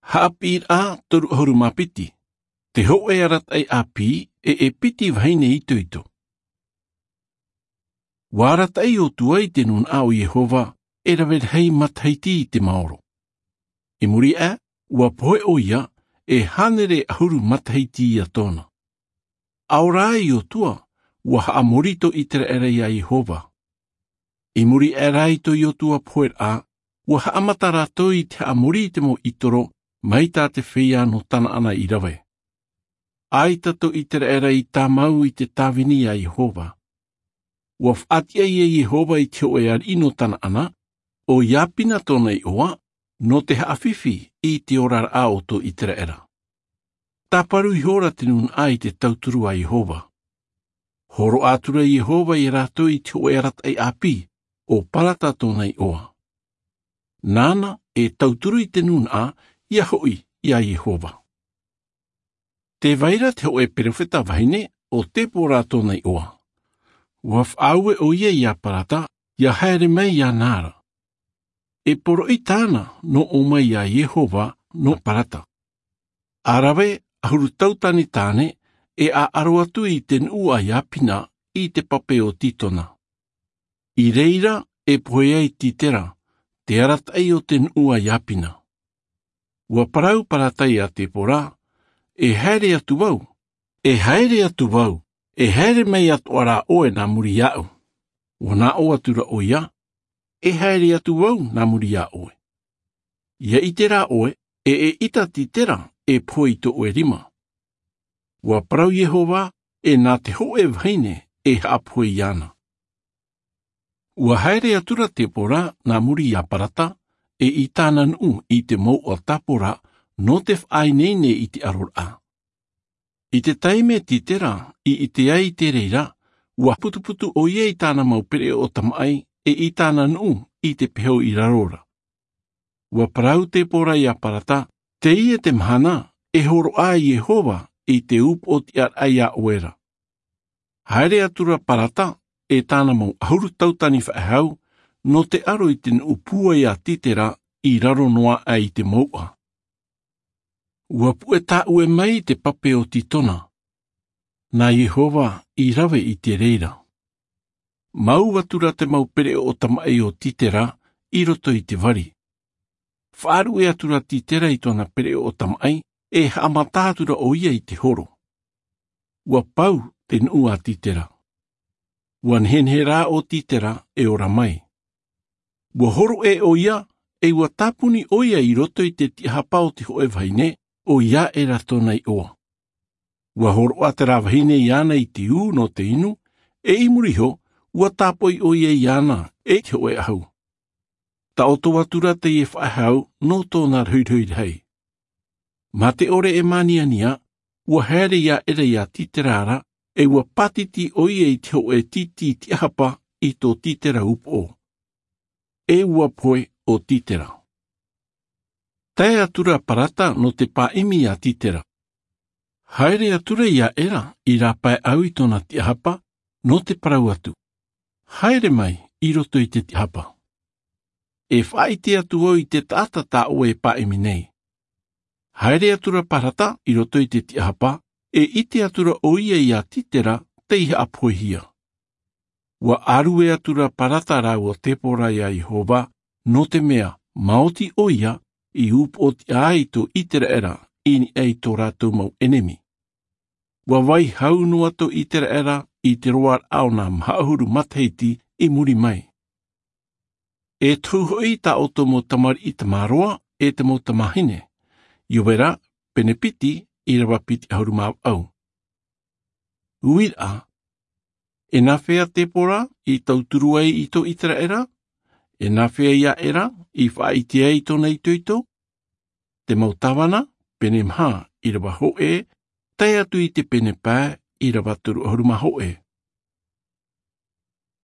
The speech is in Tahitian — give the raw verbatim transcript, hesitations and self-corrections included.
Haʻapiʻiraʻa toru ʻahuru mā piti. Te hōʻē arataʻi ʻāpī, e e piti vahine itoito. Ua arataʻi ʻo Iotua i te nūnaʻa o Iehova, e rave rahi matahiti i te maoro. I muri aʻe, ua pohe ʻoia, e hānere ʻahuru matahiti ia tōna. ʻAore rā Iotua, ua haʻamori tō Iteraera ia Iehova. I muri aʻe rā i tō Iotua poheraʻa, ua haʻamata rātou i te haʻamori i te mau ʻitoro, mai tā te feiā nō Tanaana i rave. ʻAita tō Iteraera i tāmau i te tāvini ia Iehova. Ua faʻatiʻa ia Iehova i te hōʻē ariʻi nō Tanaana, ʻo Iapina tōna iʻoa, nō te haʻafifi i te oraraʻa o tō Iteraera. Tāparu ihora te nūnaʻa i te tauturu a Iehova. Hōroʻa atura Iehova ia rātou i te hōʻē arataʻi ʻāpī, ʻo Parata tōna iʻoa. Nāna e tauturu i te nūnaʻa, ia hoʻi ia Iehova. Tē vai ra te hōʻē perofeta vahine, ʻo Tepora tōna iʻoa. Ua faʻaue ʻoia ia Parata, ia haere mai iāna ra. E poroʻi tāna nō ʻō mai ia Iehova nō Parata. ʻA rave ʻahuru tauatini tāne, e ʻaʻaro atu i te nuʻu a Iapina i te pape o Titona. I reira e pohe ai Titera, te arataʻi o te nuʻu a Iapina. Ua parau Parata ia Tepora, e haere atu vau, e haere atu vau, e haere mai atoʻa rā ʻoe nā muri iāʻu. Ua nā ʻō atura ʻoia, e haere atu vau nā muri iā ʻoe. Ia ʻite rā ʻoe, e ʻeʻita Titera e pohe i tō ʻoe rima. Ua parau Iehova, e nā te hōʻē vahine e haʻapohe iāna. Ua haere atura Tepora nā muri iā Parata, e i tāna nuʻu i te mouʻa Tapora, nō te faʻaineine i te ʻaroraʻa. I te taime Titera i ʻite ai i te reira, ua putuputu ʻoia i tāna mau pereʻoʻo tamaʻi, e i tāna nuʻu i te peho i raro ra. Ua parau Tepora ia Parata, teie te mahana, e hōroʻa Iehova i te upoʻotiʻaraʻa iā ʻoe ra. Haere atura Parata, e tāna mau ʻahuru tauatini faʻehau, nō te ʻaro i te nuʻu pūai a Titera i raro noa aʻe i te mouʻa. Ua puʻe tāʻue mai te pape o Titona. Nā Iehova i rave i te reira. Mau atura te mau pereʻoʻo tamaʻi o Titera i roto i te vari. Faʻaruʻe atura Titera i tōna pereʻoʻo tamaʻi, e haʻamata atura ʻoia i te horo. Ua pau te nuʻu a Titera. Ua nehenehe rā ʻo Titera e ora mai. Ua horoʻa ʻoia, e ua tāpuni ʻoia i roto i te tiʻahapa o te hōʻē vahine, ʻo Iaera tōna iʻoa. Ua hōroʻa terā vahine iāna i te ū nō te inu, e i muri iho, ua tāpoʻi ʻoia iāna e te hōʻē ʻahu. Taʻoto atura teie faʻehau nō tōna rohirohi rahi. Mā te ʻore e māniania, ua haere Iaera iā Titera ra, e ua pātiti ʻoia i te hōʻē tītī tiʻahapa i tō Titera upoʻo. E ua pohe ʻo Titera. Tae atura Parata nō te pāʻimi iā Titera. Haere atura Iaera i rāpae ʻau i tōna tiʻahapa, nō te parau atu. Haere mai i roto i te tiʻahapa. E faʻaʻite atu vau i te taʻata tā ʻoe e pāʻimi nei. Haere atura Parata i roto i te tiʻahapa, e ʻite atura ʻoia iā Titera tei haʻapohehia. Ua ʻārue atura Parata rāua Tepora iā Iehova, nō te mea, maoti ʻoia, i upoʻotiʻa ai tō Iteraera, i niʻa i tō rātou mau ʻenemi. Ua vai hau noa tō Iteraera i te roaraʻa o nā maha ʻahuru matahiti i muri mai. E tohu hoʻi tā ʻoutou mau tamariʻi tamaroa, e te mau tamāhine. Iovera, pene piti, ʻīrava piti ʻahuru mā vaʻu. Uiraʻa, e nāfea Tepora i tauturu ai i tō Iteraera? E nāfea Iaera i faʻaʻite ai i tōna itoito? Te mau tāvana, pene maha, ʻīrava hōʻē, tae atu i te pene pae, ʻīrava toru ʻahuru mā hōʻē.